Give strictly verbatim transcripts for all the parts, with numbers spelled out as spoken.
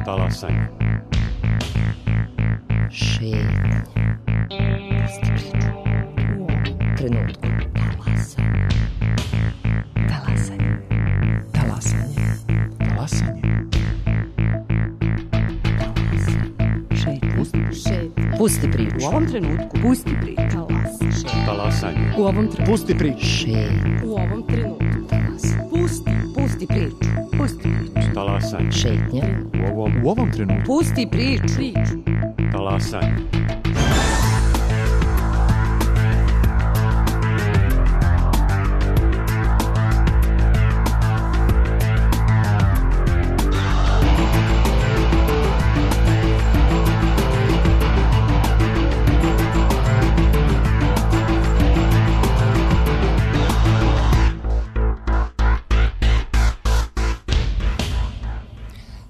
Talasanje. Šetnja. Trenutku. Talasanje. Talasanje. Talasanje. Šetnja. Pusti priču. U ovom trenutku. Pusti priču. Talasanje. U ovom trenutku. Pusti priču. Šetnja. U ovom trenutku. Pusti. Pusti priču. Pusti priču. Talasanje. Šetnja. U ovom, U ovom trenutku. Pusti priču. Priču. talasanje.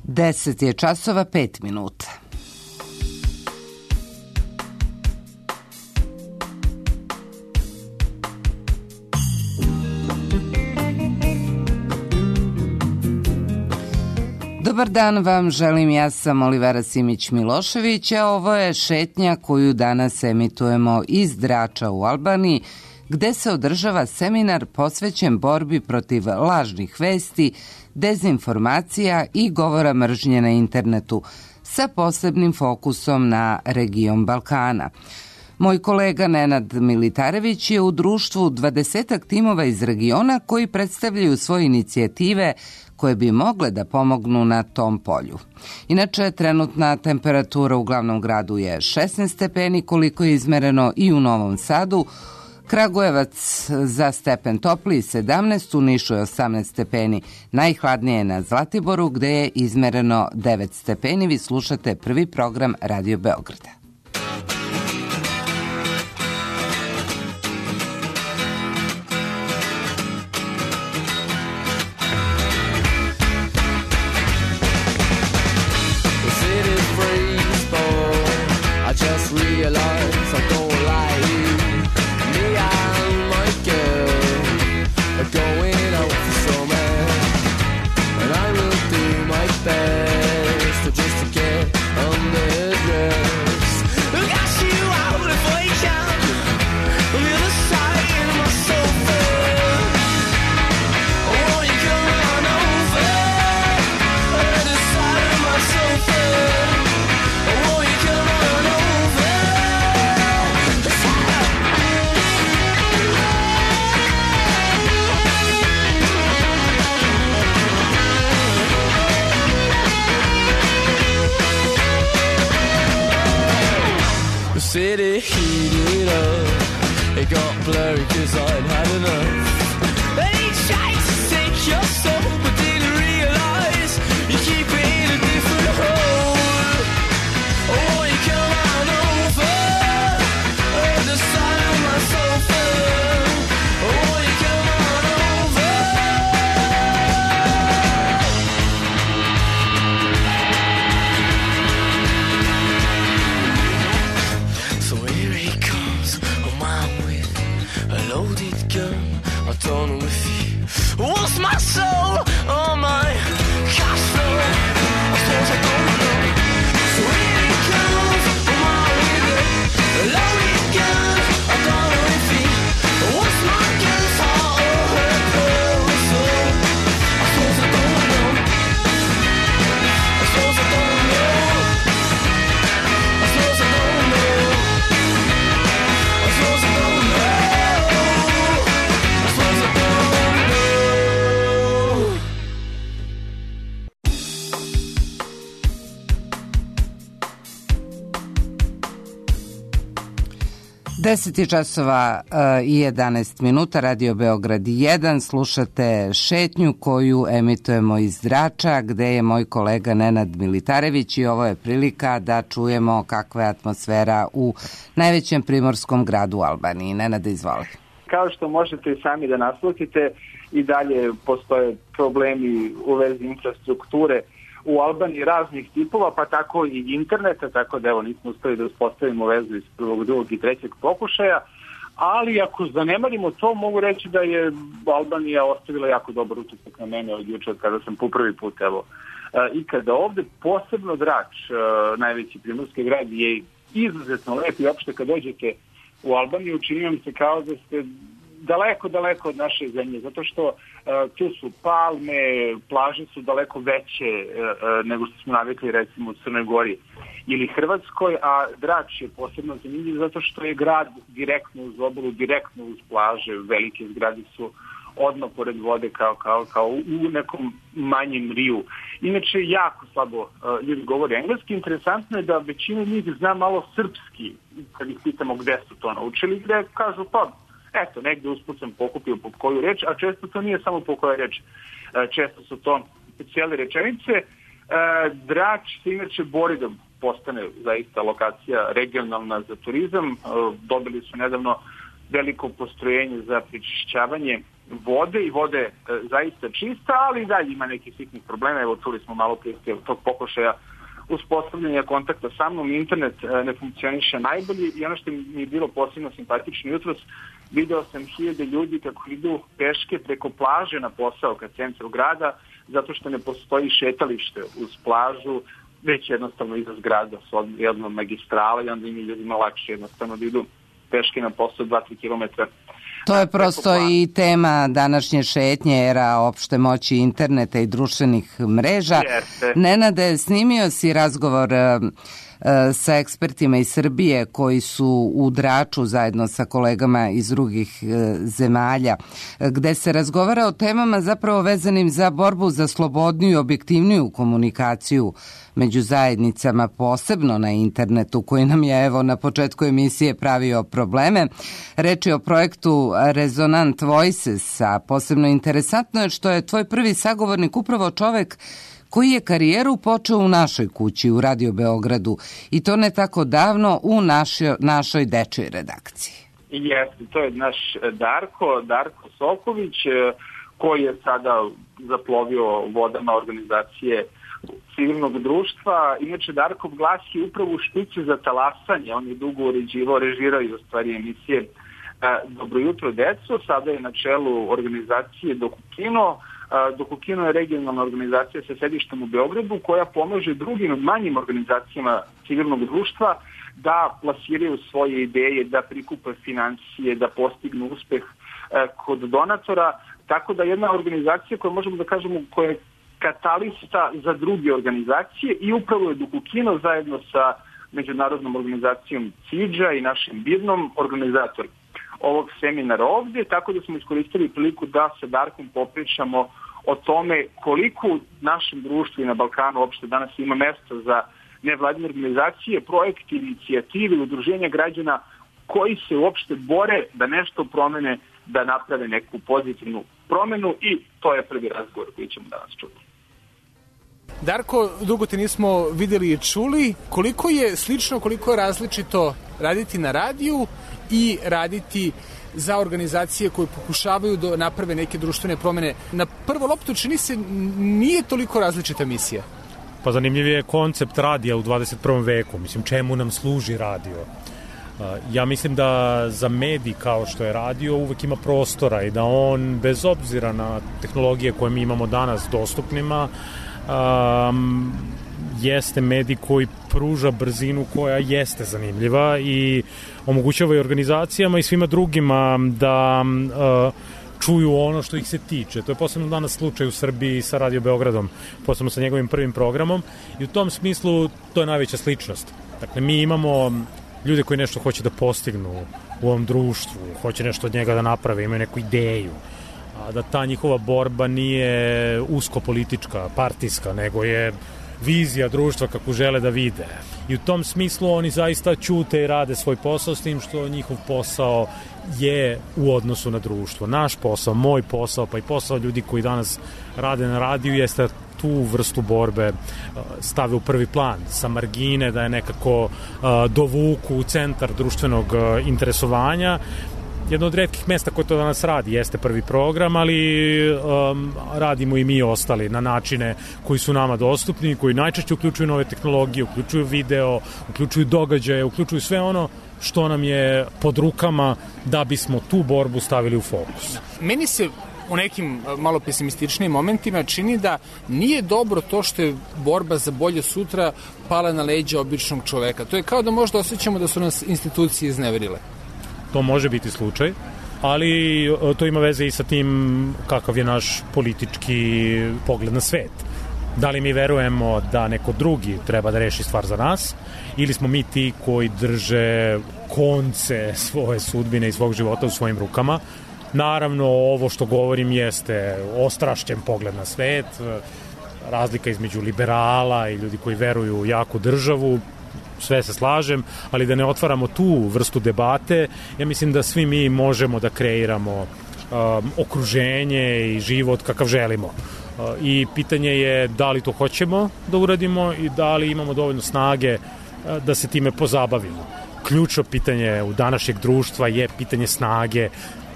Deset je časova, pet minuta. Dobar dan vam želim, ja sam Olivera Simić-Milošević, a ovo je šetnja koju danas emitujemo iz Drača u Albaniji, gde se održava seminar posvećen borbi protiv lažnih vesti, dezinformacija i govora mržnje na internetu, sa posebnim fokusom na region Balkana. Moj kolega Nenad Militarević je u društvu dvadesetak timova iz regiona koji predstavljaju svoje inicijative koje bi mogle da pomognu na tom polju. Inače, trenutna temperatura u glavnom gradu je šesnaest stepeni, koliko je izmereno i u Novom Sadu, Kragujevac za stepen topliji sedamnaest, u Nišu je osamnaest stepeni, najhladnije je na Zlatiboru gde je izmereno devet stepeni. Vi slušate prvi program Radio Beograda. City heated up, it got blurry cause I'd had enough. They tried to take your soul, but didn't realise you keep it in a different hole. Oh, you come on over, at the side of my sofa. Oh, you come on over. So here he comes, oh man, with a loaded gun. I don't know if he wants my soul or my cash flow. I suppose I don't know. So here he comes, oh man, with a loaded gun. I don't know if he wants my girl's heart or her poor soul. I suppose I don't know. I suppose I don't know. I suppose I don't know. I suppose I don't know. I suppose I don't know. Deset je časova i jedanaest minuta, Radio Beograd jedan, slušate šetnju koju emitujemo iz Drača, gde je moj kolega Nenad Militarević i ovo je prilika da čujemo kakva je atmosfera u najvećem primorskom gradu u Albaniji. Nenad, izvoli. Kao što možete sami da naslutite, i dalje postoje problemi u vezi infrastrukture u Albaniji raznih tipova, pa tako i interneta, tako da evo nismo uspeli da uspostavimo vezu iz prvog, drugog i trećeg pokušaja, ali ako zanemarimo to, mogu reći da je Albanija ostavila jako dobar utisak na mene od juče, kada sam po prvi put evo ikada ovde. Posebno Drač, najveći primorski grad, je izuzetno lep i opšte kad dođete u Albaniju čini vam se kao da ste daleko, daleko od naše zemlje, zato što uh, tu su palme, plaže su daleko veće uh, nego što smo navikli recimo u Crnoj Gori ili Hrvatskoj, a Drač je posebno zanimljiv zato što je grad direktno uz obalu, direktno uz plaže, velike zgrade su odmah pored vode kao, kao, kao u nekom manjem riju. Inače, jako slabo uh, ljudi govore engleski. Interesantno je da većina njih zna malo srpski, kad ih pitamo gde su to naučili, gde kažu pa eto, negde usput sam pokupio po koju reč, a često to nije samo po koja reč. Često su to cijele rečenice. Drač se inače bori da postane zaista lokacija regionalna za turizam. Dobili su nedavno veliko postrojenje za prečišćavanje vode i vode zaista čista, ali i dalje ima nekih sitnih problema. Evo, čuli smo malo prije tog pokušaja uspostavljanja kontakta sa mnom, internet ne funkcioniše najbolje i ono što mi je bilo posebno simpatično jutros, video sam hiljade ljudi kako idu peške preko plaže na posao ka centru grada, zato što ne postoji šetalište uz plažu, već jednostavno iza zgrada s jednom magistrala i onda im je ljudima lakše jednostavno da idu peške na posao dva do tri kilometra. To je prosto i tema današnje šetnje, era opšte moći interneta i društvenih mreža. Jeste. Nenade, snimio si razgovor sa ekspertima iz Srbije koji su u Draču zajedno sa kolegama iz drugih zemalja, gde se razgovara o temama zapravo vezanim za borbu za slobodniju i objektivniju komunikaciju među zajednicama, posebno na internetu, koji nam je evo na početku emisije pravio probleme. Reč je o projektu Resonant Voices, a posebno interesantno je što je tvoj prvi sagovornik upravo čovek koji je karijeru počeo u našoj kući, u Radio Beogradu, i to ne tako davno u našoj, našoj dečjoj redakciji. Jeste, to je naš Darko, Darko Soković, koji je sada zaplovio vodama organizacije civilnog društva. Inače, Darkov glas je upravo u špici za talasanje, on je dugo uređivao, režirao i u stvari emisije Dobro jutro, deco, sada je na čelu organizacije Dokukino. Dokukino je regionalna organizacija sa sedištem u Beogradu koja pomaže drugim manjim organizacijama civilnog društva da plasiraju svoje ideje, da prikupe financije, da postignu uspeh kod donatora. Tako da jedna organizacija koja možemo da kažemo koja je katalista za druge organizacije i upravo je Dokukino zajedno sa međunarodnom organizacijom CIDžA i našim BIRNom organizator ovog seminara ovdje, tako da smo iskoristili priliku da sa Darkom popričamo o tome koliko u našem društvu i na Balkanu uopšte danas ima mesta za nevladine organizacije, projekti, inicijative, udruženja građana koji se uopšte bore da nešto promene, da naprave neku pozitivnu promenu i to je prvi razgovor koji ćemo danas čuti. Darko, dugo te nismo vidjeli i čuli. Koliko je slično, koliko je različito raditi na radiju i raditi za organizacije koje pokušavaju da naprave neke društvene promene? Na prvo loptu čini se nije toliko različita misija. Pa zanimljiv je koncept radija u dvadeset prvom veku. Mislim, čemu nam služi radio? Ja mislim da za medij kao što je radio uvek ima prostora i da on, bez obzira na tehnologije koje mi imamo danas dostupnima, um, jeste medij koji pruža brzinu koja jeste zanimljiva i omogućava i organizacijama i svima drugima da uh, čuju ono što ih se tiče. To je posebno danas slučaj u Srbiji sa Radio Beogradom, posebno sa njegovim prvim programom i u tom smislu to je najveća sličnost. Dakle, mi imamo ljude koji nešto hoće da postignu u ovom društvu, hoće nešto od njega da naprave, imaju neku ideju, a da ta njihova borba nije usko politička, partijska, nego je vizija društva kako žele da vide. I u tom smislu oni zaista ćute i rade svoj posao, s tim što njihov posao je u odnosu na društvo. Naš posao, moj posao, pa i posao ljudi koji danas rade na radiju jeste tu vrstu borbe stave u prvi plan, sa margine, da je nekako dovuku u centar društvenog interesovanja. Jedno od retkih mesta koje to danas radi jeste prvi program, ali um, radimo i mi ostali na načine koji su nama dostupni, koji najčešće uključuju nove tehnologije, uključuju video, uključuju događaje, uključuju sve ono što nam je pod rukama da bismo tu borbu stavili u fokus. Meni se u nekim malo pesimističnim momentima čini da nije dobro to što je borba za bolje sutra pala na leđa običnog čoveka. To je kao da možda osjećamo da su nas institucije izneverile. To može biti slučaj, ali to ima veze i sa tim kakav je naš politički pogled na svet. Da li mi verujemo da neko drugi treba da reši stvar za nas, ili smo mi ti koji drže konce svoje sudbine i svog života u svojim rukama. Naravno, ovo što govorim jeste ostrašćen pogled na svet, razlika između liberala i ljudi koji veruju u jaku državu, sve se slažem, ali da ne otvaramo tu vrstu debate, ja mislim da svi mi možemo da kreiramo um, okruženje i život kakav želimo. Uh, I pitanje je da li to hoćemo da uradimo i da li imamo dovoljno snage uh, da se time pozabavimo. Ključno pitanje u današnjeg društva je pitanje snage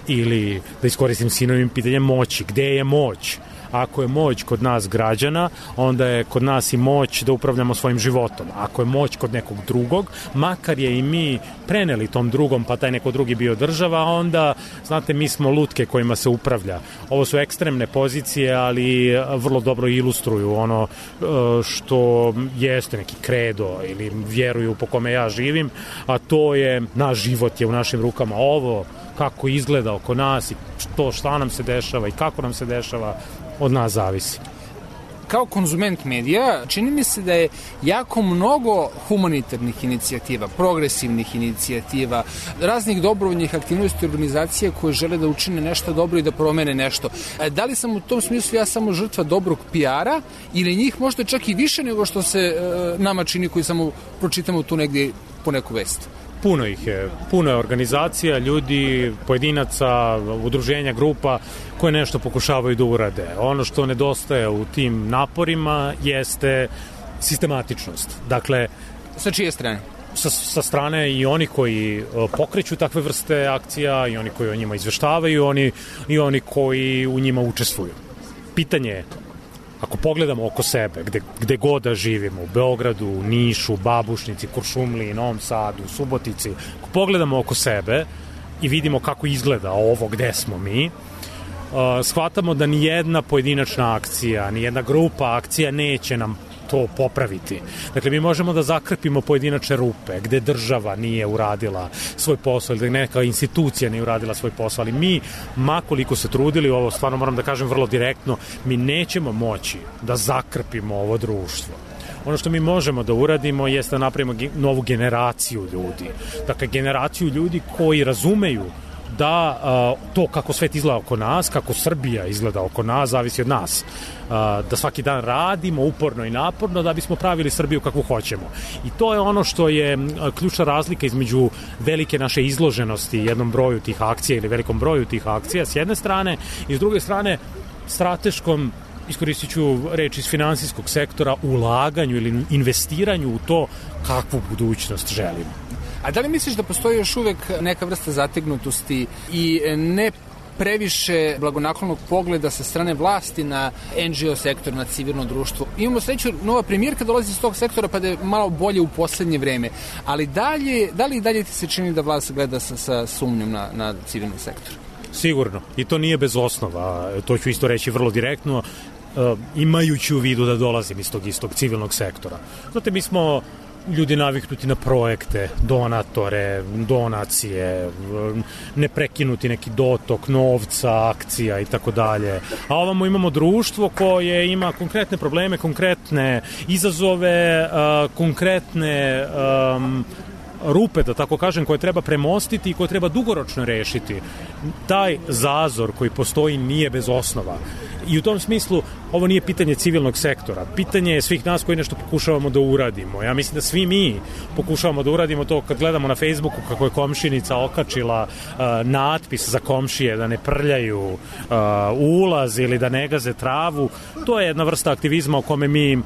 ili, da iskoristim sinovim, pitanje moći. Gde je moć? Ako je moć kod nas građana, onda je kod nas i moć da upravljamo svojim životom. Ako je moć kod nekog drugog, makar je i mi preneli tom drugom, pa taj neko drugi bio država, onda, znate, mi smo lutke kojima se upravlja. Ovo su ekstremne pozicije, ali vrlo dobro ilustruju ono što jeste neki kredo ili vjeruju po kome ja živim, a to je, naš život je u našim rukama. Ovo kako izgleda oko nas i to šta nam se dešava i kako nam se dešava, od nas zavisi. Kao konzument medija, čini mi se da je jako mnogo humanitarnih inicijativa, progresivnih inicijativa, raznih dobrovoljnih aktivnosti organizacije koje žele da učine nešto dobro i da promene nešto. Da li sam u tom smislu ja samo žrtva dobrog P R-a ili njih možda čak i više nego što se e, nama čini koji samo pročitamo tu negdje po neku vest? Puno ih je, puno je organizacija, ljudi, pojedinaca, udruženja, grupa koje nešto pokušavaju da urade. Ono što nedostaje u tim naporima jeste sistematičnost. Dakle, sa čije strane? Sa, sa strane i oni koji pokreću takve vrste akcija, i oni koji o njima izveštavaju, oni, i oni koji u njima učestvuju. Pitanje je, ako pogledamo oko sebe, gde, gde god da živimo, u Beogradu, u Nišu, Babušnici, Kuršumliji, Novom Sadu, Subotici, ako pogledamo oko sebe i vidimo kako izgleda ovo gde smo mi, uh, shvatamo da nijedna pojedinačna akcija, nijedna grupa akcija neće nam to popraviti. Dakle, mi možemo da zakrpimo pojedinačne rupe gde država nije uradila svoj posao ili da neka institucija nije uradila svoj posao, ali mi, makoliko se trudili, ovo stvarno moram da kažem vrlo direktno, mi nećemo moći da zakrpimo ovo društvo. Ono što mi možemo da uradimo jeste da napravimo novu generaciju ljudi. Dakle, generaciju ljudi koji razumeju da uh, to kako svet izgleda oko nas, kako Srbija izgleda oko nas, zavisi od nas. Uh, da svaki dan radimo uporno i naporno da bismo pravili Srbiju kakvu hoćemo. I to je ono što je uh, ključna razlika između velike naše izloženosti jednom broju tih akcija ili velikom broju tih akcija s jedne strane i s druge strane strateškom, iskoristit ću reč iz finansijskog sektora, ulaganju ili investiranju u to kakvu budućnost želimo. A da li misliš da postoji još uvek neka vrsta zategnutosti i ne previše blagonaklonog pogleda sa strane vlasti na N G O sektor, na civilno društvo? Imamo sreću, nova premijerka dolazi iz tog sektora pa da je malo bolje u poslednje vreme, ali dalje, da li i dalje ti se čini da vlast gleda sa, sa sumnjom na, na civilni sektor? Sigurno, i to nije bez osnova, to ću isto reći vrlo direktno, uh, imajući u vidu da dolazim iz tog istog civilnog sektora. Znate, mi smo ljudi naviknuti na projekte, donatore, donacije, neprekinuti neki dotok novca, akcija i tako dalje. A ovamo imamo društvo koje ima konkretne probleme, konkretne izazove, uh, konkretne um, rupe, da tako kažem, koje treba premostiti i koje treba dugoročno rešiti. Taj zazor koji postoji nije bez osnova. I u tom smislu ovo nije pitanje civilnog sektora. Pitanje je svih nas koji nešto pokušavamo da uradimo. Ja mislim da svi mi pokušavamo da uradimo to kad gledamo na Facebooku kako je komšinica okačila uh, natpis za komšije da ne prljaju uh, ulaz ili da ne gaze travu. To je jedna vrsta aktivizma u kome mi, uh,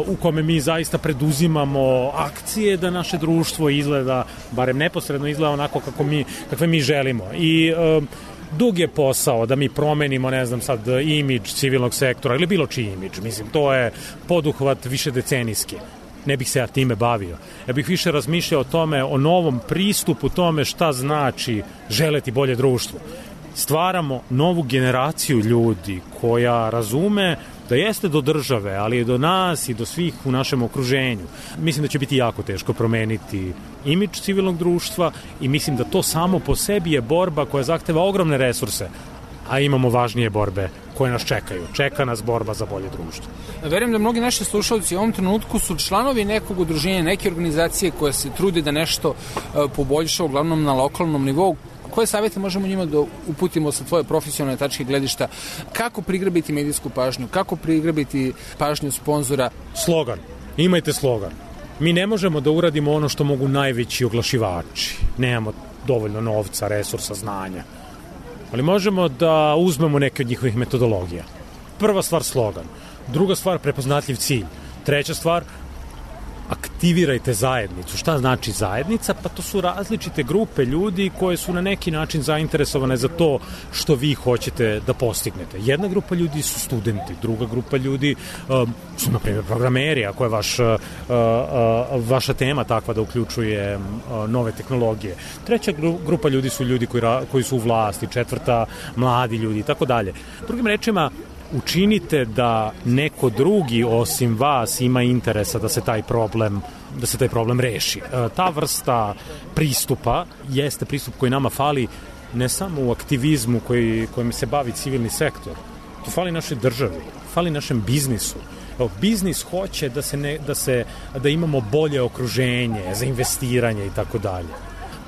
u kome mi zaista preduzimamo akcije da naše društvo izgleda, barem neposredno izgleda onako kako mi, kakve mi želimo. I uh, dug je posao da mi promenimo, ne znam sad, imidž civilnog sektora ili bilo čiji imidž. Mislim, to je poduhvat više decenijski. Ne bih se ja time bavio. Ja bih više razmišljao o tome, o novom pristupu tome šta znači želeti bolje društvo. stvaramo novu generaciju ljudi koja razume da jeste do države, ali je do nas i do svih u našem okruženju. Mislim da će biti jako teško promeniti imidž civilnog društva i mislim da to samo po sebi je borba koja zahteva ogromne resurse, a imamo važnije borbe koje nas čekaju. Čeka nas borba za bolje društvo. Verujem da mnogi naši slušalci u ovom trenutku su članovi nekog udruženja, neke organizacije koje se trude da nešto poboljša, uglavnom na lokalnom nivou. Koje savjete možemo njima da uputimo sa tvoje profesionalne tačke gledišta? Kako prigrabiti medijsku pažnju? Kako prigrabiti pažnju sponzora? Slogan. Imajte slogan. Mi ne možemo da uradimo ono što mogu najveći oglašivači. Nemamo dovoljno novca, resursa, znanja. Ali možemo da uzmemo neke od njihovih metodologija. Prva stvar slogan. Druga stvar prepoznatljiv cilj. Treća stvar aktivirajte zajednicu. Šta znači zajednica? Pa to su različite grupe ljudi koje su na neki način zainteresovane za to što vi hoćete da postignete. Jedna grupa ljudi su studenti, druga grupa ljudi um, su, na primjer, programeri, ako je vaš, uh, uh, vaša tema takva da uključuje uh, nove tehnologije. Treća grupa ljudi su ljudi koji, ra- koji su u vlasti, četvrta mladi ljudi i tako dalje. Drugim rečima, učinite da neko drugi osim vas ima interesa da se taj problem da se taj problem reši. E, ta vrsta pristupa jeste pristup koji nama fali ne samo u aktivizmu koji, kojim se bavi civilni sektor. To fali našoj državi, fali našem biznisu. Evo, biznis hoće da se ne, da se da imamo bolje okruženje za investiranje i tako dalje.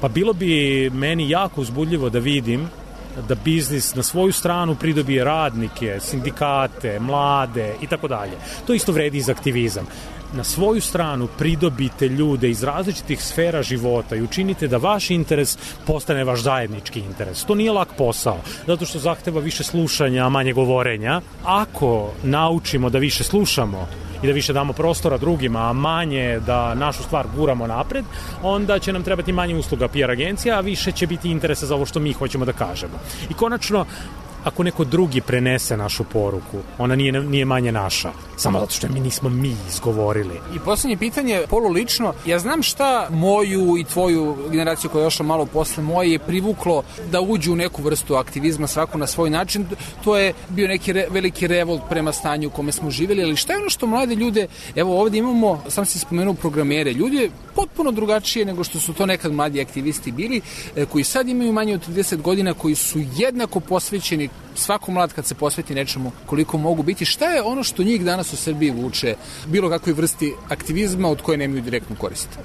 Pa bilo bi meni jako uzbudljivo da vidim da biznis na svoju stranu pridobije radnike, sindikate, mlade i tako dalje. To isto vredi i za aktivizam. Na svoju stranu pridobite ljude iz različitih sfera života i učinite da vaš interes postane vaš zajednički interes. To nije lak posao, zato što zahteva više slušanja, a manje govorenja. Ako naučimo da više slušamo i da više damo prostora drugima, a manje da našu stvar guramo napred, onda će nam trebati manje usluga P R agencija, a više će biti interesa za ovo što mi hoćemo da kažemo. I konačno, ako neko drugi prenese našu poruku, ona nije, nije manje naša, samo zato što mi nismo mi izgovorili. I poslednje pitanje, Polo, lično, ja znam šta moju i tvoju generaciju koja je došla malo posle moje je privuklo da uđu u neku vrstu aktivizma, svako na svoj način. To je bio neki re, veliki revolt prema stanju u kome smo živjeli, ali šta je ono što mlade ljude, evo ovdje imamo, sam si spomenuo programere, ljudi potpuno drugačije nego što su to nekad mladi aktivisti bili, koji sad imaju manje od trideset godina, koji su jednako posvećeni, svako mlad kad se posveti nečemu koliko mogu biti. Šta je ono što njih danas u Srbiji vuče bilo kakvoj vrsti aktivizma od koje nemaju direktnu korist?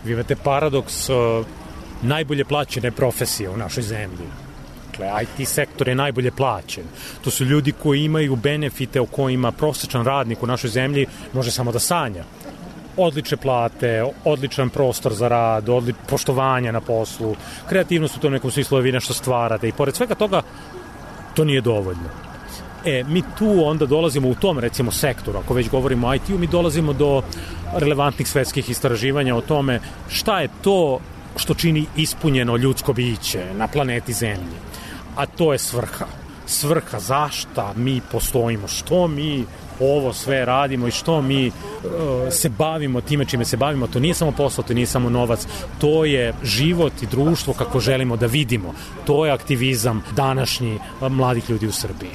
Vi imate paradoks uh, najbolje plaćene profesije u našoj zemlji. Dakle, I T sektor je najbolje plaćen. To su ljudi koji imaju benefite o kojima prosječan radnik u našoj zemlji može samo da sanja. Odlične plate, odličan prostor za rad, odli... poštovanja na poslu, kreativnost u tom nekom smislu vi nešto stvarate i pored svega toga to nije dovoljno. E, mi tu onda dolazimo u tom, recimo, sektoru, ako već govorimo o I T-u, mi dolazimo do relevantnih svetskih istraživanja o tome šta je to što čini ispunjeno ljudsko biće na planeti Zemlji. A to je svrha. Svrha zašta mi postojimo, što mi ovo sve radimo i što mi uh, se bavimo time čime se bavimo. To nije samo posao, to nije samo novac, to je život i društvo kako želimo da vidimo. To je aktivizam današnji mladih ljudi u Srbiji.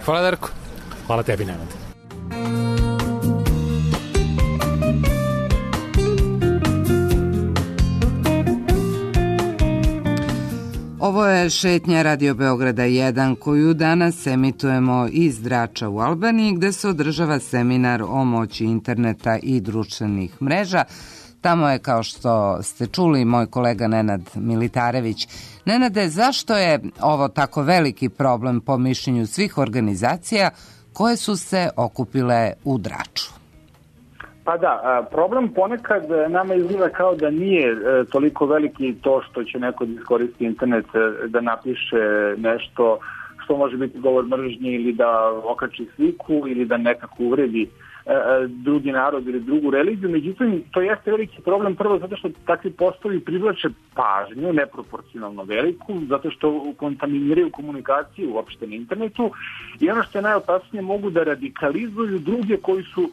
Hvala, Darko. Hvala tebi, Nenad. Ovo je šetnja Radio Beograda jedan koju danas emitujemo iz Drača u Albaniji, gde se održava seminar o moći interneta i društvenih mreža. Tamo je, kao što ste čuli, moj kolega Nenad Militarević. Nenade, zašto je ovo tako veliki problem po mišljenju svih organizacija koje su se okupile u Draču? Pa da, problem ponekad nama izgleda kao da nije toliko veliki to što će neko da iskoristi internet da napiše nešto što može biti govor mržnje ili da okači sliku ili da nekako uvredi drugi narod ili drugu religiju. Međutim, to jeste veliki problem prvo zato što takvi postovi privlače pažnju neproporcionalno veliku, zato što kontaminiraju komunikaciju uopšte na internetu i ono što je najopasnije, mogu da radikalizuju druge koji su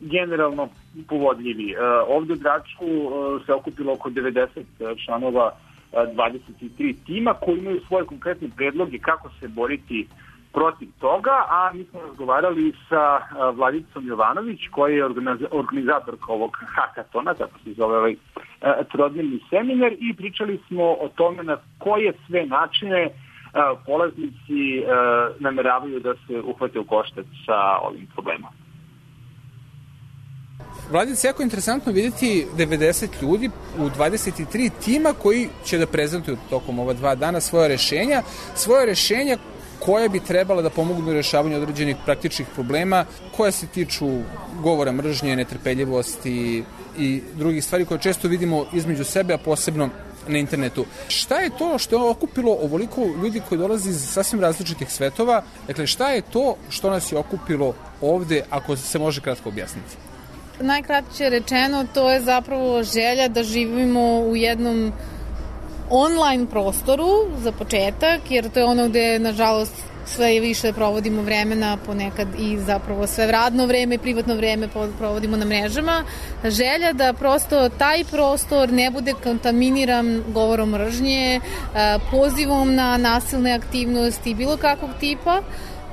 generalno povodljivi. Ovde u Draču se okupilo oko devedeset članova dvadeset tri tima koji imaju svoje konkretne predloge kako se boriti protiv toga, a mi smo razgovarali sa Vladicom Jovanović, koja je organizatorka ovog hakatona, tako se zove ovaj trodnevni seminar, i pričali smo o tome na koje sve načine polaznici nameravaju da se uhvate u koštac sa ovim problemom. Vladica, jako interesantno vidjeti devedeset ljudi u dvadeset tri tima koji će da prezentuju tokom ova dva dana svoje rešenja, svoje rešenja koje bi trebala da pomognu u rešavanju određenih praktičnih problema koje se tiču govora mržnje, netrpeljivosti i drugih stvari koje često vidimo između sebe, a posebno na internetu. Šta je to što je okupilo ovoliko ljudi koji dolazi iz sasvim različitih svetova? Dakle, šta je to što nas je okupilo ovde, ako se može kratko objasniti? Najkraće rečeno, to je zapravo želja da živimo u jednom online prostoru za početak, jer to je ono gde, nažalost, sve više provodimo vremena, ponekad i zapravo sve radno vreme i privatno vreme provodimo na mrežama. Želja da prosto taj prostor ne bude kontaminiran govorom mržnje, pozivom na nasilne aktivnosti bilo kakvog tipa,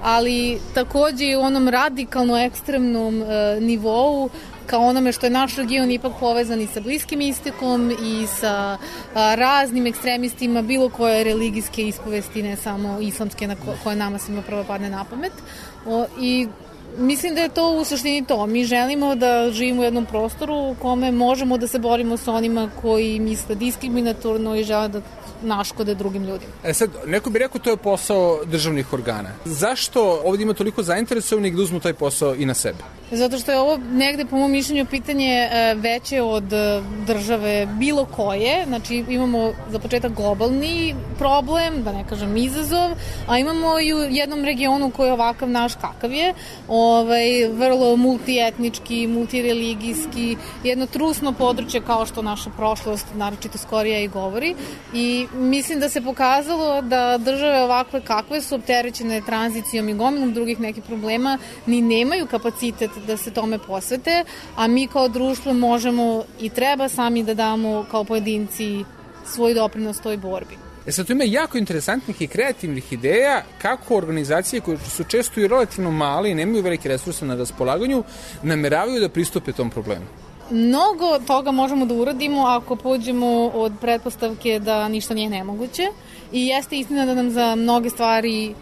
ali takođe i u onom radikalno ekstremnom nivou, kao onome što je naš region ipak povezan i sa Bliskim istokom i sa a, raznim ekstremistima bilo koje religijske ispovesti, ne samo islamske na ko, koje nama svima prvo padne na pamet. O, I mislim da je to u suštini to. Mi želimo da živimo u jednom prostoru u kome možemo da se borimo sa onima koji misle diskriminatorno i žele da naškode drugim ljudima. E sad, neko bi rekao to je posao državnih organa. Zašto ovdje ima toliko zainteresovanih da uzmu taj posao i na sebe? Zato što je ovo negde, po mom mišljenju, pitanje veće od države bilo koje. Znači, imamo za početak globalni problem, da ne kažem izazov, a imamo i u jednom regionu koji je ovakav naš kakav je, ovaj, vrlo multietnički, multireligijski, jedno trusno područje kao što naša prošlost, naročito skorija i govori. I mislim da se pokazalo da države ovakve kakve su opterećene tranzicijom i gomilom drugih nekih problema ni nemaju kapacitet da se tome posvete, a mi kao društvo možemo i treba sami da damo kao pojedinci svoj doprinos toj borbi. E sad, tu ima jako interesantnih i kreativnih ideja kako organizacije koje su često i relativno male i nemaju velike resurse na raspolaganju nameravaju da pristupe tom problemu. Mnogo toga možemo da uradimo ako pođemo od pretpostavke da ništa nije nemoguće i jeste istina da nam za mnoge stvari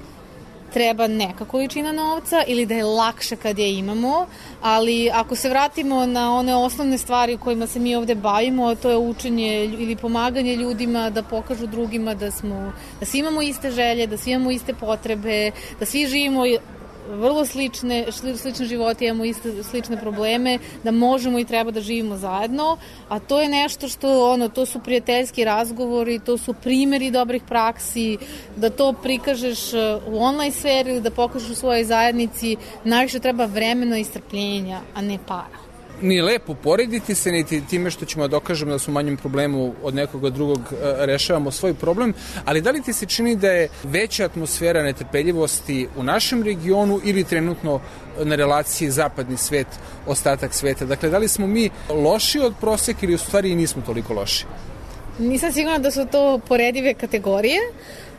treba neka količina novca ili da je lakše kad je imamo, ali ako se vratimo na one osnovne stvari kojima se mi ovde bavimo, to je učenje ili pomaganje ljudima da pokažu drugima da smo, da svi imamo iste želje, da svi imamo iste potrebe, da svi živimo vrlo slične, slične živote, imamo iste slične probleme, da možemo i treba da živimo zajedno, a to je nešto što, ono, to su prijateljski razgovori, to su primjeri dobrih praksi, da to prikažeš u online sferi ili da pokažeš u svojoj zajednici, najviše treba vremena i strpljenja, a ne para. Nije lepo porediti se, niti time što ćemo dokažemo da su u manjem problemu od nekoga drugog rešavamo svoj problem, ali da li ti se čini da je veća atmosfera netrpeljivosti u našem regionu ili trenutno na relaciji zapadni svet, ostatak sveta? Dakle, da li smo mi loši od proseka ili u stvari nismo toliko loši? Nisam sigurna da su to poredive kategorije,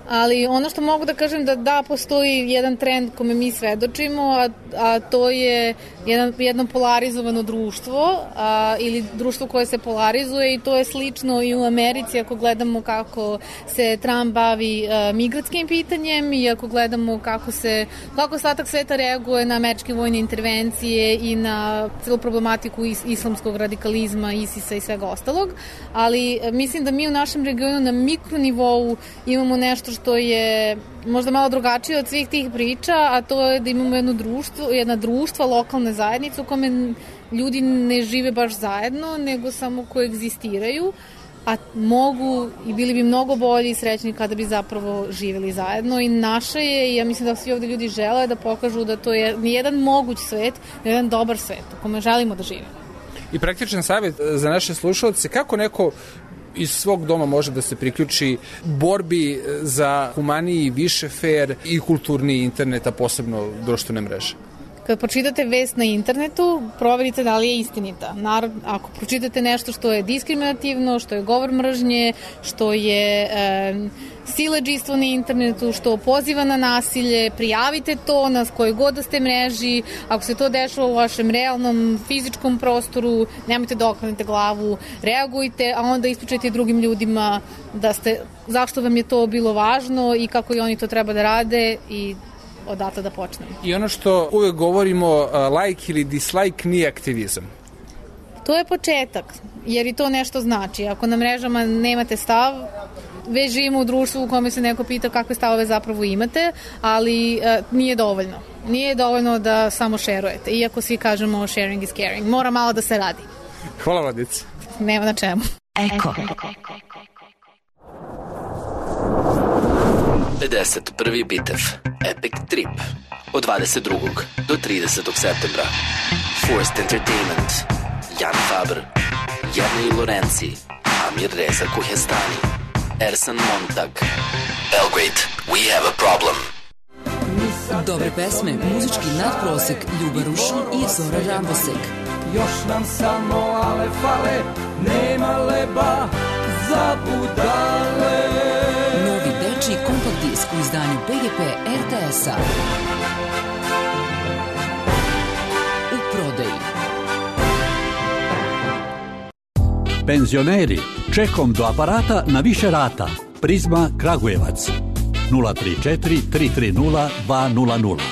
ali ono što mogu da kažem da da, postoji jedan trend kome mi svedočimo, a, a to je jedan, jedno polarizovano društvo a, ili društvo koje se polarizuje i to je slično i u Americi ako gledamo kako se Trump bavi a, migratskim pitanjem i ako gledamo kako se kako ostatak sveta reaguje na američke vojne intervencije i na celu problematiku is, islamskog radikalizma, ISIS-a i svega ostalog, ali a, mislim da mi u našem regionu na mikronivou imamo nešto što je možda malo drugačije od svih tih priča, a to je da imamo jedno društvo, jedna društva, lokalne zajednice u kome ljudi ne žive baš zajedno, nego samo koegzistiraju, a mogu i bili bi mnogo bolji i srećni kada bi zapravo živjeli zajedno i naše je, i ja mislim da svi ovde ljudi žele da pokažu da to je nijedan moguć svet, jedan dobar svet u kome želimo da živimo. I praktičan savjet za naše slušalce, kako neko iz svog doma može da se priključi borbi za humaniji, više fair i kulturni internet, a posebno društvene mreže? Kad pročitate vest na internetu, proverite da li je istinita. Narod, ako pročitate nešto što je diskriminativno, što je govor mržnje, što je e, siledžijstvo na internetu, što poziva na nasilje, prijavite to na kojoj god da ste mreži. Ako se to dešava u vašem realnom fizičkom prostoru, nemojte da okrenete glavu, reagujte, a onda ispričajte drugim ljudima da ste, zašto vam je to bilo važno i kako i oni to treba da rade i odatle da počnemo. I ono što uvek govorimo, uh, like ili dislike nije aktivizam. To je početak, jer i to nešto znači. Ako na mrežama nemate stav, već živimo u društvu u kome se neko pita kakve stavove zapravo imate, ali uh, nije dovoljno. Nije dovoljno da samo šerujete, iako svi kažemo sharing is caring. Mora malo da se radi. Hvala, Vladice. Nema na čemu. Eko. pedeset prvi bitev Epic Trip od dvadeset drugog do tridesetog septembra. Forced Entertainment, Jan Faber, Jernej Lorenzi, Amir Reza Kohestani, Ersan Montag. Belgrade, we have a problem. Dobre pesme, muzički nadprosek, Ljuba Rušin i Zora Rambosek. Još nam samo ale fale, nema leba za budale. Novi dečiji kompakt disk u izdanju P G P R T S-a. U prodaji. Penzioneri, čekom do aparata na više rata. Prizma Kragujevac. nula tri četiri tri tri nula dva nula nula.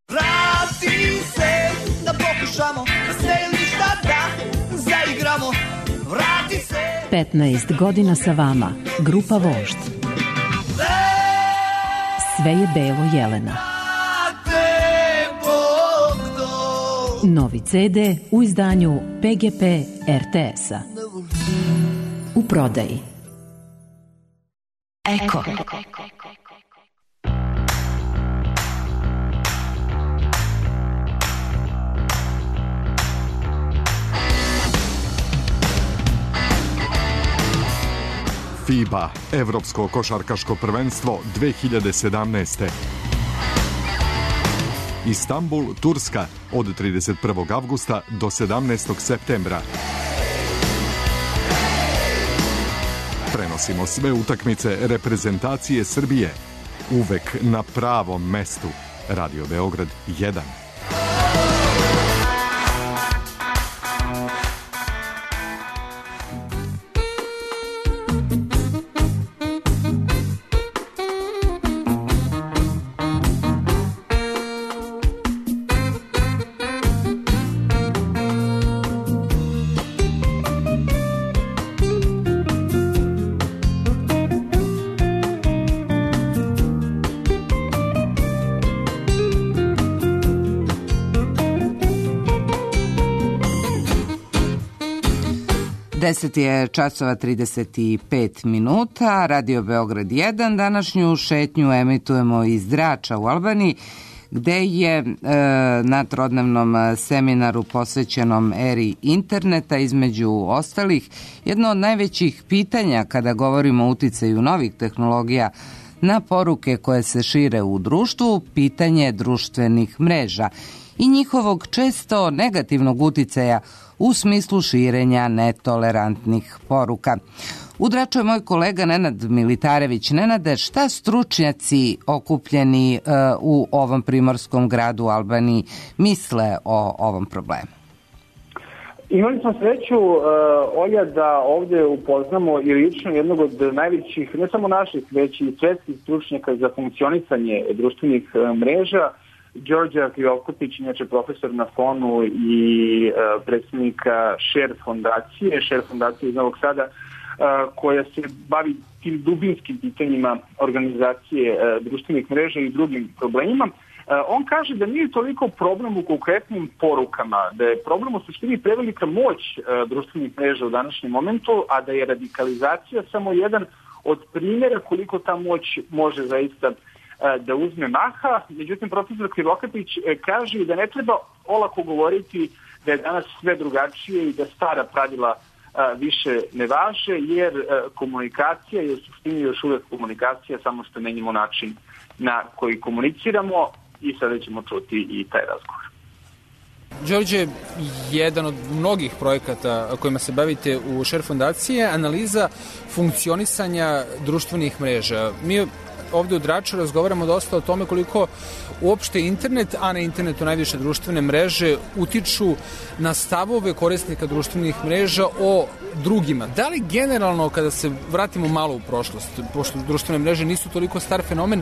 Vrati se, da pokušamo, da se ništa da zaigramo. Vrati se. petnaest godina sa vama, grupa Vožd. Sve je belo Jelena. Novi C D u izdanju P G P R T S-a. U prodaji. Eko. FIBA, Evropsko košarkaško prvenstvo dve hiljade sedamnaeste. Istanbul, Turska, od trideset prvog avgusta do sedamnaestog septembra. Prenosimo sve utakmice reprezentacije Srbije. Uvek na pravom mestu. Radio Beograd jedan. deset je časova trideset pet minuta, Radio Beograd jedan. Današnju šetnju emitujemo iz Drača u Albaniji, gde je e, na trodnevnom seminaru posvećenom eri interneta, između ostalih, jedno od najvećih pitanja kada govorimo o uticaju novih tehnologija na poruke koje se šire u društvu, pitanje društvenih mreža i njihovog često negativnog uticaja u smislu širenja netolerantnih poruka. U Draču je moj kolega Nenad Militarević. Nenade, šta stručnjaci okupljeni uh, u ovom primorskom gradu u Albaniji misle o ovom problemu? Imali smo sreću, uh, Olja, da ovdje upoznamo i lično jednog od najvećih, ne samo naših, već i svetskih stručnjaka za funkcionisanje društvenih uh, mreža, Đorđa Krivokapić, inače profesor na Fonu i uh, predsjednika Share fondacije, Share fondacije iz Novog Sada, uh, koja se bavi tim dubinskim pitanjima organizacije uh, društvenih mreža i drugim problemima. Uh, on kaže da nije toliko problem u konkretnim porukama, da je problem u suštini prevelika moć uh, društvenih mreža u današnjem momentu, a da je radikalizacija samo jedan od primjera koliko ta moć može zaista da uzme maha. Međutim, profesor Krivokapić kaže da ne treba olako govoriti da je danas sve drugačije i da stara pravila više ne važe, jer komunikacija je u suštini još uvek komunikacija, samo što menjamo način na koji komuniciramo i sada ćemo čuti i taj razgovor. Đorđe, jedan od mnogih projekata kojima se bavite u Share fondaciji je analiza funkcionisanja društvenih mreža. Mi ovde u Draču razgovaramo dosta o tome koliko uopšte internet, a na internetu najviše društvene mreže, utiču na stavove korisnika društvenih mreža o drugima. Da li generalno, kada se vratimo malo u prošlost, pošto društvene mreže nisu toliko star fenomen,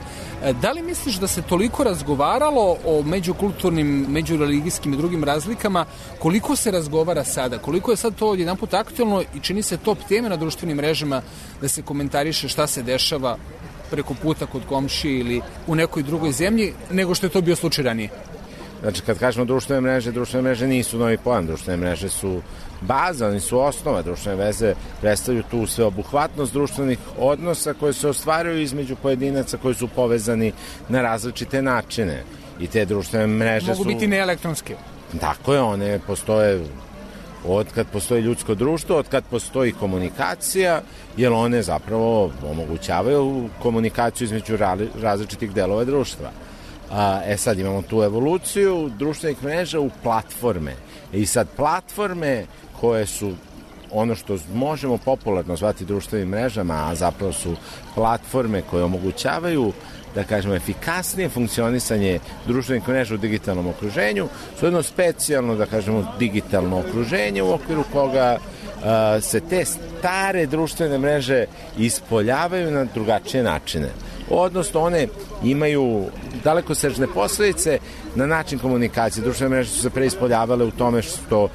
da li misliš da se toliko razgovaralo o međukulturnim, međureligijskim i drugim razlikama, koliko se razgovara sada? Koliko je sad to jedan put aktualno i čini se top teme na društvenim mrežama da se komentariše šta se dešava preko puta kod komšije ili u nekoj drugoj zemlji, nego što je to bio slučaj ranije? Znači, kad kažemo društvene mreže, društvene mreže nisu novi pojam, društvene mreže su baza, oni su osnova, društvene veze predstavljaju tu sveobuhvatnost društvenih odnosa koje se ostvaruju između pojedinaca koji su povezani na različite načine. I te društvene mreže Mogu su... biti neelektronske. Tako je, one postoje od kad postoji ljudsko društvo, od kad postoji komunikacija, jer one zapravo omogućavaju komunikaciju između različitih delova društva. A, e sad imamo tu evoluciju društvenih mreža u platforme. I sad platforme koje su ono što možemo popularno zvati društvenim mrežama, a zapravo su platforme koje omogućavaju, da kažemo, efikasnije funkcionisanje društvenih mreža u digitalnom okruženju, su jedno specijalno, da kažemo, digitalno okruženje u okviru koga a, se te stare društvene mreže ispoljavaju na drugačije načine. Odnosno, one imaju dalekosežne posledice na način komunikacije. Društvene mreže su se preispoljavale u tome što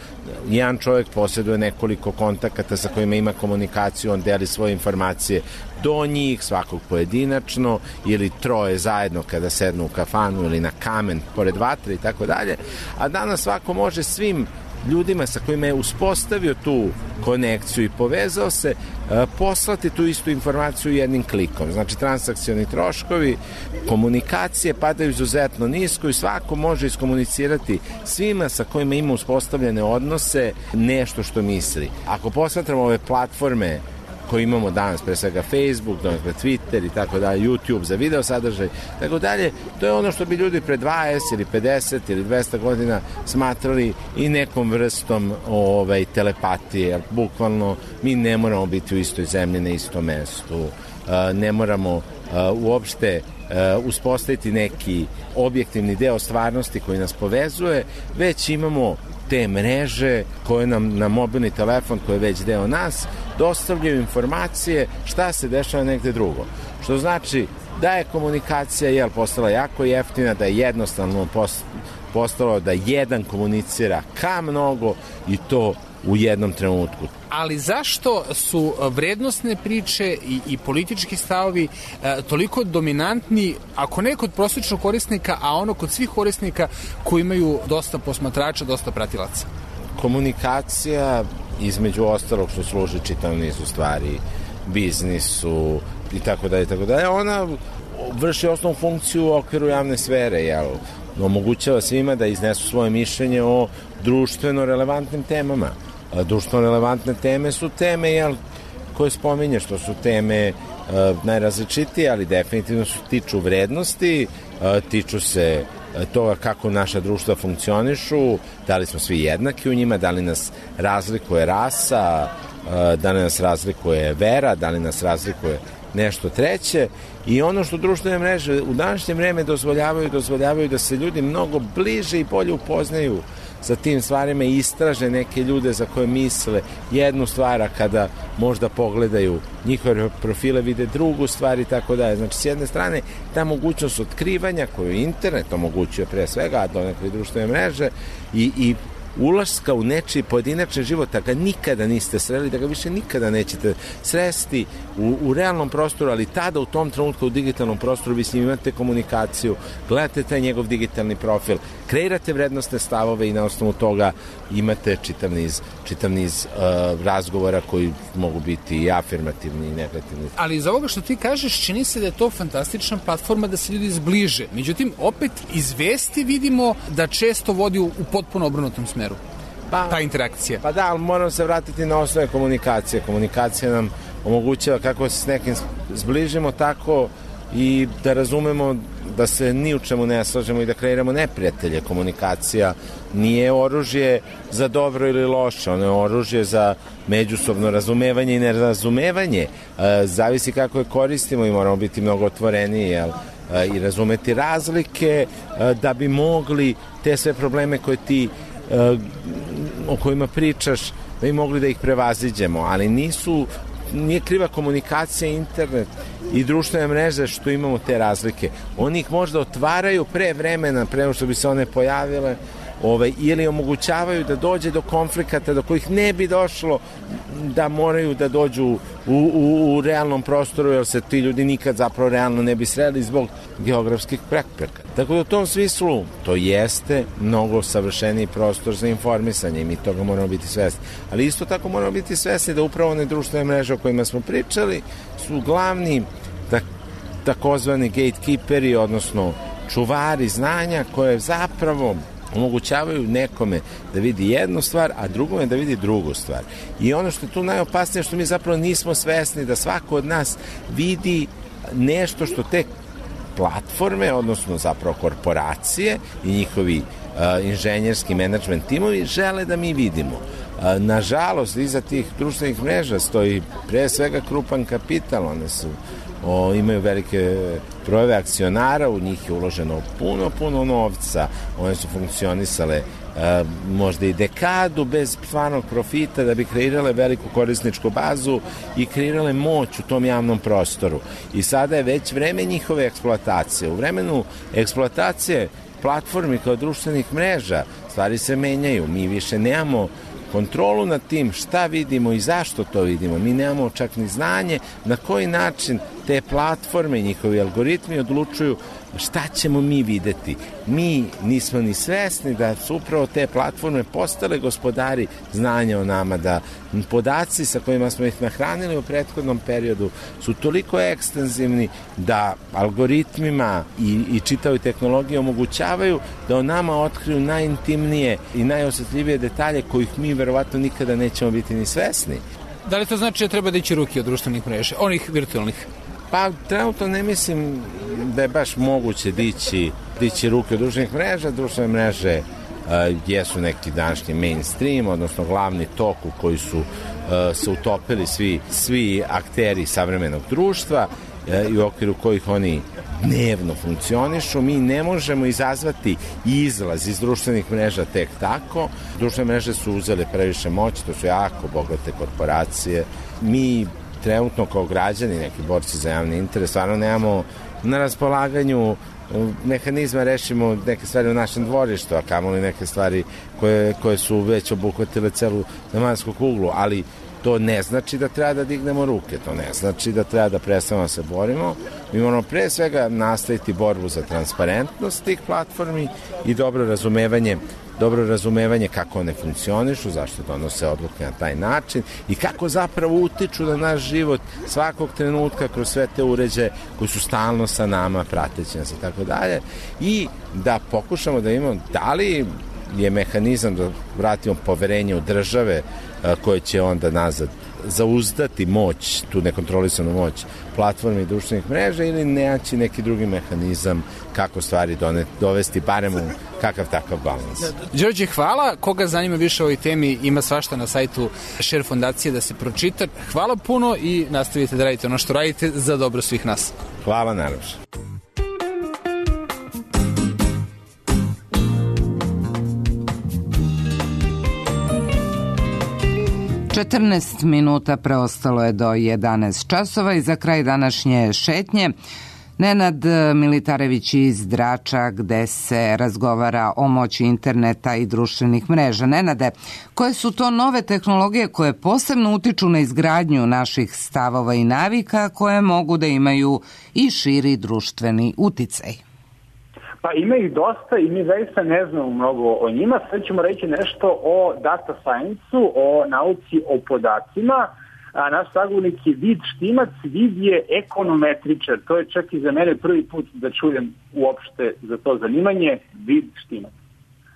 jedan čovjek posjeduje nekoliko kontakata sa kojima ima komunikaciju, on deli svoje informacije do njih, svakog pojedinačno, ili troje zajedno kada sednu u kafanu ili na kamen pored vatre i tako dalje. A danas svako može svim ljudima sa kojima je uspostavio tu konekciju i povezao se, poslati tu istu informaciju jednim klikom. Znači, transakcioni troškovi komunikacije padaju izuzetno nisko i svako može iskomunicirati svima sa kojima ima uspostavljene odnose nešto što misli. Ako posmatramo ove platforme koje imamo danas, pre svega Facebook, donekle Twitter i tako dalje, YouTube za video sadržaj, tako dalje, to je ono što bi ljudi pre dvadeset ili pedeset ili dvesta godina smatrali i nekom vrstom ovaj, telepatije, jer bukvalno mi ne moramo biti u istoj zemlji, na istom mestu, ne moramo uopšte uspostaviti neki objektivni deo stvarnosti koji nas povezuje, već imamo te mreže koje nam na mobilni telefon, koji je već deo nas, dostavljaju informacije šta se dešava negde drugo. Što znači da je komunikacija jel, postala jako jeftina, da je jednostavno postalo da jedan komunicira ka mnogo i to u jednom trenutku. Ali zašto su vrednostne priče i, i politički stavovi e, toliko dominantni, ako ne kod prosječnog korisnika, a ono kod svih korisnika koji imaju dosta posmatrača, dosta pratilaca? Komunikacija, između ostalog što služi čitav niz u stvari biznisu i tako dalje, tako dalje, ona vrši osnovnu funkciju u okviru javne sfere, jel? Omogućava svima da iznesu svoje mišljenje o društveno relevantnim temama. Društveno relevantne teme su teme jel, koje spominješ, to su teme uh, najrazličitije, ali definitivno su tiču vrednosti, uh, tiču se toga kako naša društva funkcionišu, da li smo svi jednaki u njima, da li nas razlikuje rasa, uh, da li nas razlikuje vera, da li nas razlikuje nešto treće. I ono što društvene mreže u današnje vreme dozvoljavaju, dozvoljavaju da se ljudi mnogo bliže i bolje upoznaju sa tim stvarima i istraže neke ljude za koje misle jednu stvar, a kada možda pogledaju njihove profile vide drugu stvar i tako dalje. Znači, s jedne strane, ta mogućnost otkrivanja koju internet omogućuje pre svega, a donekle društvene mreže i, i ulaska u nečiji pojedinačni život, da ga nikada niste sreli, da ga više nikada nećete sresti u, u realnom prostoru, ali tada u tom trenutku u digitalnom prostoru vi s njim imate komunikaciju, gledate taj njegov digitalni profil, kreirate vrednostne stavove i na osnovu toga imate čitav niz, čitav niz uh, razgovora koji mogu biti i afirmativni i negativni. Ali iz ovoga što ti kažeš, čini se da je to fantastična platforma da se ljudi zbliže. Međutim, opet iz vesti vidimo da često vodi u, u potpuno obrnutom smeru. Pa, ta interakcija. Pa da, ali moramo se vratiti na osnove komunikacije. Komunikacija nam omogućava kako se s nekim zbližimo, tako i da razumemo da se ni u čemu ne slažemo i da kreiramo neprijatelje. Komunikacija nije oružje za dobro ili loše, ono je oružje za međusobno razumevanje i nerazumevanje. E, zavisi kako je koristimo i moramo biti mnogo otvoreniji, jel? E, i razumeti razlike e, da bi mogli te sve probleme koje ti e, o kojima pričaš, da bi mogli da ih prevaziđemo, ali nisu nije kriva komunikacija, internet i društvene mreže što imamo te razlike. Oni ih možda otvaraju pre vremena, pre nego što bi se one pojavile, ovaj, ili omogućavaju da dođe do konflikata do kojih ne bi došlo da moraju da dođu u, u, u realnom prostoru, jer se ti ljudi nikad zapravo realno ne bi sreli zbog geografskih prepreka. Tako da u tom smislu to jeste mnogo savršeniji prostor za informisanje i mi toga moramo biti svesni. Ali isto tako moramo biti svesni da upravo one društvene mreže o kojima smo pričali su glavni tak, takozvani gatekeeperi, odnosno čuvari znanja koje zapravo omogućavaju nekome da vidi jednu stvar, a drugome da vidi drugu stvar. I ono što je tu najopasnije, što mi zapravo nismo svesni da svako od nas vidi nešto što te platforme, odnosno zapravo korporacije i njihovi uh, inženjerski menadžment timovi žele da mi vidimo. Uh, nažalost, iza tih društvenih mreža stoji pre svega krupan kapital, one su O, imaju velike brojeve akcionara, u njih je uloženo puno, puno novca, one su funkcionisale e, možda i dekadu bez stvarnog profita da bi kreirale veliku korisničku bazu i kreirale moć u tom javnom prostoru. I sada je već vreme njihove eksploatacije. U vremenu eksploatacije platformi kao društvenih mreža stvari se menjaju. Mi više nemamo kontrolu nad tim šta vidimo i zašto to vidimo. Mi nemamo čak ni znanje na koji način te platforme i njihovi algoritmi odlučuju šta ćemo mi videti. Mi nismo ni svesni da su upravo te platforme postale gospodari znanja o nama, da podaci sa kojima smo ih nahranili u prethodnom periodu su toliko ekstenzivni da algoritmima i, i čitavoj tehnologiji omogućavaju da o nama otkriju najintimnije i najosjetljivije detalje kojih mi verovatno nikada nećemo biti ni svesni. Da li to znači da treba dići ruke od društvenih mreža, onih virtualnih? Pa trenutno ne mislim da je baš moguće dići, dići ruke od društvenih mreža. Društvene mreže uh, jesu neki današnji mainstream, odnosno glavni tok u koji su uh, se utopili svi, svi akteri savremenog društva uh, i u okviru kojih oni dnevno funkcionišu. Mi ne možemo izazvati izlaz iz društvenih mreža tek tako. Društvene mreže su uzele previše moći, to su jako bogate korporacije. Mi trenutno kao građani, neki borci za javni interes, stvarno nemamo na raspolaganju mehanizma, rešimo neke stvari u našem dvorištu, a kamoli neke stvari koje, koje su već obuhvatile celu zemaljsku kuglu, ali to ne znači da treba da dignemo ruke, to ne znači da treba da prestanemo da se borimo. Mi moramo pre svega nastaviti borbu za transparentnost tih platformi i dobro razumevanje dobro razumevanje kako one funkcionišu, zašto donose odluke na taj način i kako zapravo utiču na naš život svakog trenutka kroz sve te uređaje koji su stalno sa nama, prateći nas i tako dalje, i da pokušamo da imamo da li je mehanizam da vratimo poverenje u države koje će onda nazad zauzdati moć, tu nekontrolisanu moć platforme i društvenih mreža, ili neći neki drugi mehanizam kako stvari doneti, dovesti barem u kakav takav balans. Đorđe, hvala. Koga zanima više o ovoj temi, ima svašta na sajtu Share fondacije da se pročita. Hvala puno i nastavite da radite ono što radite za dobro svih nas. Hvala najlepše. četrnaest minuta preostalo je do jedanaest časova i za kraj današnje šetnje Nenad Militarević iz Drača, gde se razgovara o moći interneta i društvenih mreža. Nenade, koje su to nove tehnologije koje posebno utiču na izgradnju naših stavova i navika, koje mogu da imaju i širi društveni uticaj? Pa ima ih dosta i mi zaista ne znamo mnogo o njima. Sad ćemo reći nešto o data science-u, o nauci o podacima. A naš sagovornik je Vid Štimac. Vid je ekonometričar. To je čak i za mene prvi put da čujem uopšte za to zanimanje. Vid Štimac.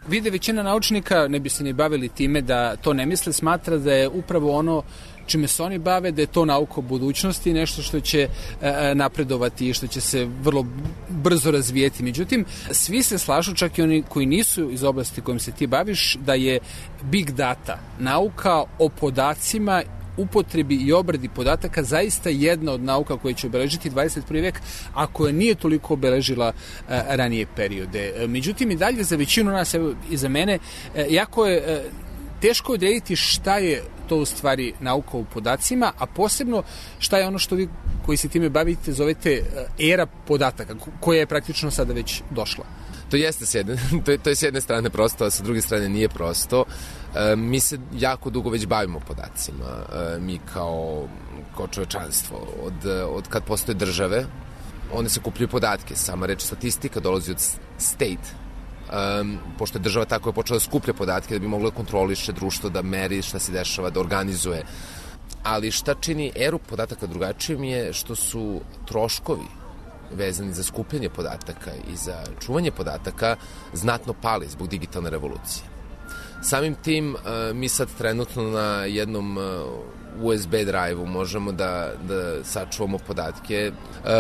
Vide, većina naučnika, ne bi se ni bavili time da to ne misle, smatra da je upravo ono čime se oni bave, da je to nauka o budućnosti, nešto što će napredovati i što će se vrlo brzo razvijeti. Međutim, svi se slažu, čak i oni koji nisu iz oblasti kojim se ti baviš, da je big data, nauka o podacima, upotrebi i obradi podataka zaista jedna od nauka koja će obeležiti dvadeset prvi vek, a koja nije toliko obeležila a, ranije periode. Međutim, i dalje za većinu nas, evo i za mene, a, jako je a, teško odrediti šta je to u stvari nauka u podacima, a posebno šta je ono što vi koji se time bavite zovete era podataka, koja je praktično sada već došla. To jeste s jedne, to je, to je s jedne strane prosto, a sa druge strane nije prosto. E, mi se jako dugo već bavimo podacima. E, mi kao, kao čovečanstvo. Od, od kad postoje države, one se kupljaju podatke. Sama reč statistika dolazi od state. Um, pošto je država tako je počela da skuplja podatke da bi mogla da kontroliše društvo, da meri šta se dešava, da organizuje. Ali šta čini eru podataka drugačijim je što su troškovi vezani za skupljanje podataka i za čuvanje podataka znatno pali zbog digitalne revolucije. Samim tim mi sad trenutno na jednom U S B drive-u možemo da, da sačuvamo podatke,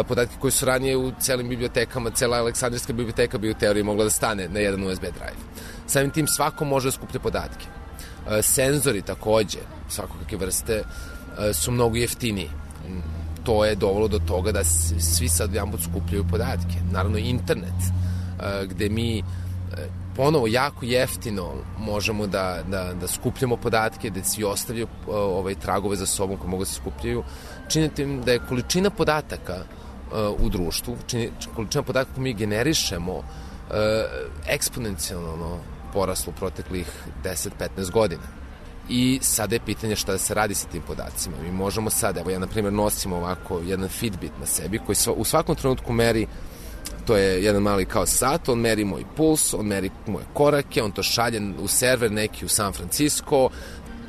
podatke koji su ranije u celim bibliotekama, cela Aleksandrijska biblioteka bi u teoriji mogla da stane na jedan U S B drive. Samim tim svako može da skuplja podatke. Senzori takođe, svakakve vrste, su mnogo jeftiniji. To je dovelo do toga da svi sad jedan put skupljaju podatke. Naravno, internet, gde mi ponovo jako jeftino možemo da, da, da skupljamo podatke, da svi ostavljaju ovaj, tragove za sobom koje mogu da se skupljaju. Činite da je količina podataka u društvu, čini, količina podataka koju mi generišemo eksponencijalno poraslo u proteklih deset do petnaest godina. I sada je pitanje šta da se radi sa tim podacima. Mi možemo sad, evo ja na primjer nosim ovako jedan Fitbit na sebi koji sva, u svakom trenutku meri, to je jedan mali kao sat, on meri moj puls, on meri moje korake, on to šalje u server neki u San Francisco.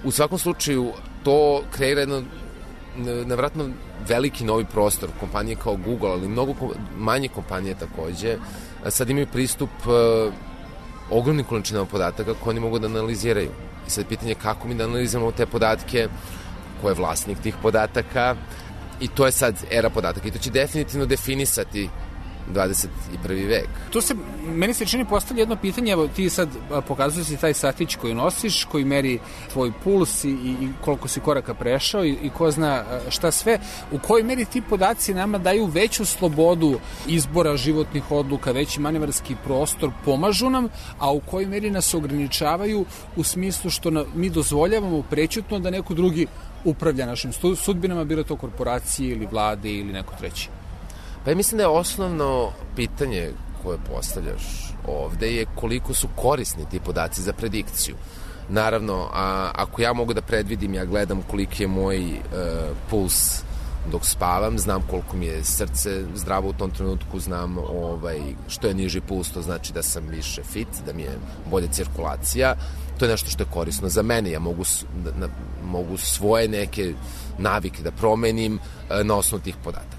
U svakom slučaju to kreira jedno nevratno veliki novi prostor. Kompanije kao Google, ali mnogo manje kompanije takođe, sad imaju pristup uh, ogromnim količinama podataka koje oni mogu da analiziraju. I sad pitanje kako mi da analiziramo te podatke, ko je vlasnik tih podataka, i to je sad era podataka. I to će definitivno definisati dvadeset prvi vek. Tu se, meni se čini postavlja jedno pitanje, evo ti sad pokazuješ si taj satić koji nosiš, koji meri tvoj puls i, i koliko si koraka prešao i, i ko zna šta sve, u kojoj meri ti podaci nama daju veću slobodu izbora životnih odluka, veći manevarski prostor, pomažu nam, a u kojoj meri nas ograničavaju u smislu što na, mi dozvoljavamo prećutno da neko drugi upravlja našim sudbinama, bilo to korporacije ili vlade ili neko treći. Pa ja mislim da je osnovno pitanje koje postavljaš ovde je koliko su korisni ti podaci za predikciju. Naravno, a, ako ja mogu da predvidim, ja gledam koliki je moj e, puls dok spavam, znam koliko mi je srce zdravo u tom trenutku, znam ovaj, što je niži puls, to znači da sam više fit, da mi je bolja cirkulacija. To je nešto što je korisno za mene. Ja mogu, da, na, mogu svoje neke navike da promenim e, na osnovu tih podataka.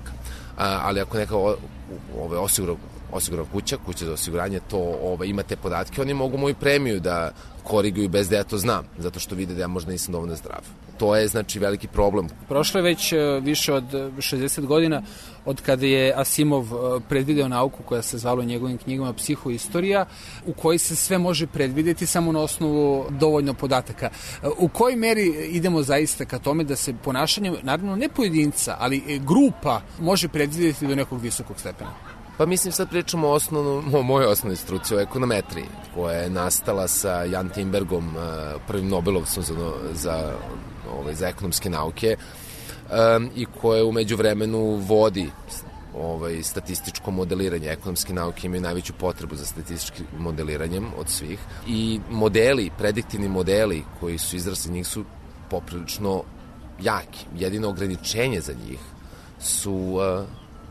A, ali ako neka ove, osigura, osigura kuća, kuća za osiguranje, to ove, ima te podatke, oni mogu moju premiju da koriguju bez da ja to znam, zato što vide da ja možda nisam dovoljno zdrav. To je, znači, veliki problem. Prošlo je već više od šezdeset godina od kada je Asimov predvideo nauku koja se zvala u njegovim knjigama Psihoistorija, u kojoj se sve može predvideti samo na osnovu dovoljno podataka. U kojoj meri idemo zaista ka tome da se ponašanje, naravno ne pojedinca, ali grupa može predvideti do nekog visokog stepena? Pa mislim sad pričamo o, osnovno, o mojoj osnovnoj struci, o ekonometriji, koja je nastala sa Jan Timbergom, prvim Nobelovcem za, za, ovaj, za ekonomske nauke, um, i koje umeđu vremenu vodi ovaj, statističko modeliranje. Ekonomske nauke imaju najveću potrebu za statističkim modeliranjem od svih. I modeli, prediktivni modeli koji su izrasli njih su poprilično jaki. Jedino ograničenje za njih su, uh,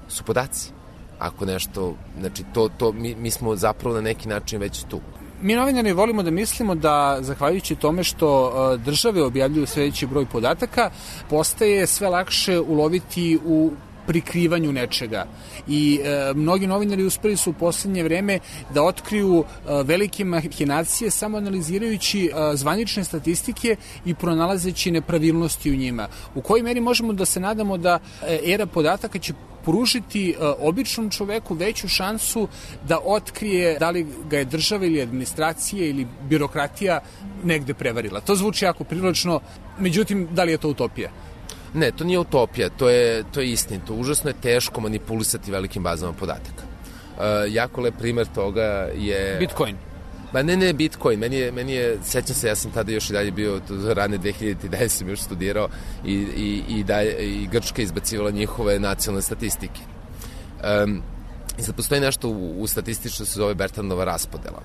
su podaci. Ako nešto, znači to, to mi, mi smo zapravo na neki način već tu. Mi novinari volimo da mislimo da, zahvaljujući tome što uh, države objavljuju sve veći broj podataka, postaje sve lakše uloviti u prikrivanju nečega. I e, mnogi novinari uspeli su u poslednje vreme da otkriju e, velike mahinacije samo analizirajući e, zvanične statistike i pronalazeći nepravilnosti u njima. U kojoj meri možemo da se nadamo da e, era podataka će pružiti e, običnom čoveku veću šansu da otkrije da li ga je država ili administracija ili birokratija negde prevarila. To zvuči jako privlačno, međutim, da li je to utopija? Ne, to nije utopija, to je, to je istinito. Užasno je teško manipulisati velikim bazama podataka. E, jako lep primer toga je... Bitcoin. Ba ne, ne, Bitcoin. Meni je, meni je, sećam se, ja sam tada još i dalje bio, rane dve hiljade desete sam još studirao i, i, i, dalje, i Grčka izbacivala njihove nacionalne statistike. Um, I sad postoji nešto u, u statistici što se zove Bertrandova raspodela.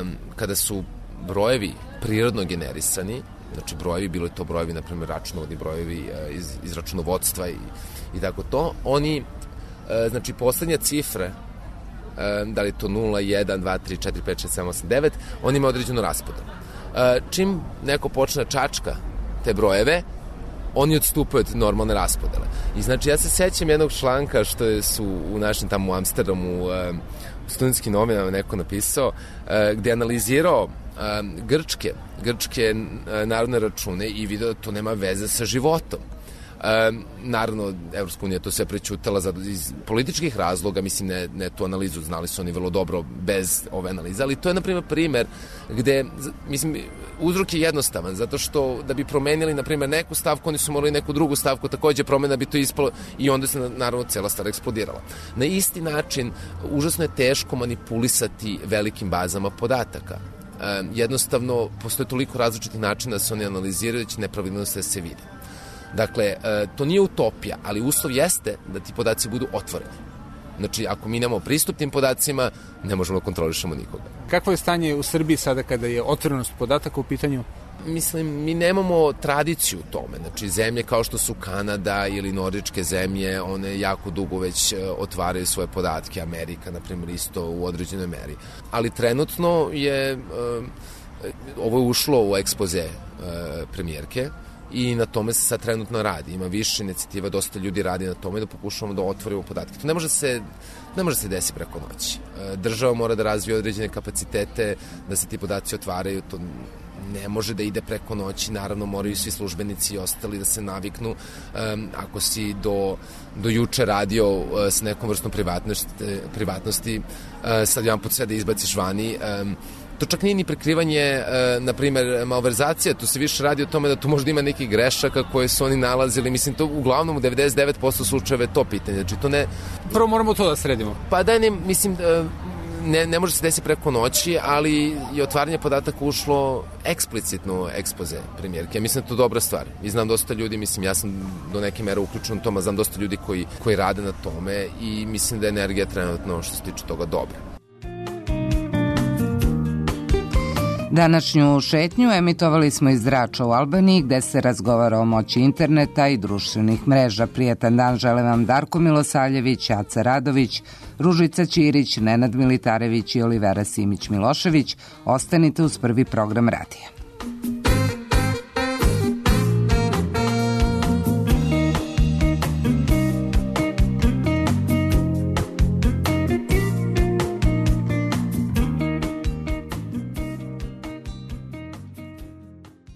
Um, kada su brojevi prirodno generisani, znači brojevi, bilo je to brojevi, na primjer računovodni brojevi iz, iz računovodstva i, i tako to, oni, znači poslednje cifre, da li je to nula, jedan, dva, tri, četiri, pet, šest, sedam, osam, devet, oni imaju određenu raspodelu. Čim neko počne čačka te brojeve, oni odstupaju od normalne raspodele. I znači ja se sećam jednog članka što su u našem tamo u Amsterdamu u studentskim novinama neko napisao, gde je analizirao grčke, grčke narodne račune i video da to nema veze sa životom. E, naravno, Evropska unija to sve prećutala za, iz političkih razloga, mislim, ne, ne tu analizu, znali su oni vrlo dobro bez ove analize, ali to je, na primjer, primer gde, mislim, uzrok je jednostavan, zato što da bi promenili, na primjer, neku stavku, oni su morali neku drugu stavku takođe promena, bi to ispalo i onda se, naravno, cela stvar eksplodirala. Na isti način, užasno je teško manipulisati velikim bazama podataka. E, jednostavno, postoje toliko različitih načina da se oni analiziraju, da će nepravilnosti da se vide. Dakle, to nije utopija, ali uslov jeste da ti podaci budu otvoreni. Znači, ako mi nemamo pristup tim podacima, ne možemo da kontrolišemo nikoga. Kakvo je stanje u Srbiji sada kada je otvorenost podataka u pitanju? Mislim, mi nemamo tradiciju u tome. Znači, zemlje kao što su Kanada ili nordičke zemlje, one jako dugo već otvaraju svoje podatke. Amerika, na primjer, isto u određenoj meri. Ali trenutno je, ovo je ušlo u ekspoze premijerke, i na tome se sad trenutno radi. Ima više inicijativa, dosta ljudi radi na tome da pokušamo da otvorimo podatke. To ne može se, ne može se desiti preko noći. Država mora da razvije određene kapacitete, da se ti podaci otvaraju, to ne može da ide preko noći, naravno moraju svi službenici i ostali da se naviknu. Um, ako si do, do juče radio uh, s nekom vrstom privatnosti, privatnosti uh, sad jedan put sve da izbaciš vani, um, to čak nije ni prekrivanje, e, na primjer, malverzacija, tu se više radi o tome da tu možda ima nekih grešaka koje su oni nalazili, mislim, to uglavnom u devedeset devet posto slučajeva je to pitanje, znači to ne... Prvo moramo to da sredimo. Pa da, ne, mislim, ne, ne može se desiti preko noći, ali je otvaranje podataka ušlo eksplicitno ekspoze premijerke, mislim da je to dobra stvar i znam dosta ljudi, mislim, ja sam do neke mere uključen u tome, znam dosta ljudi koji, koji rade na tome i mislim da je energija trenutno što se tiče toga dobra. Današnju šetnju emitovali smo iz Drača u Albaniji, gde se razgovara o moći interneta i društvenih mreža. Prijetan dan žele vam Darko Milosavljević, Aca Radović, Ružica Ćirić, Nenad Militarević i Olivera Simić-Milošević. Ostanite uz prvi program radija.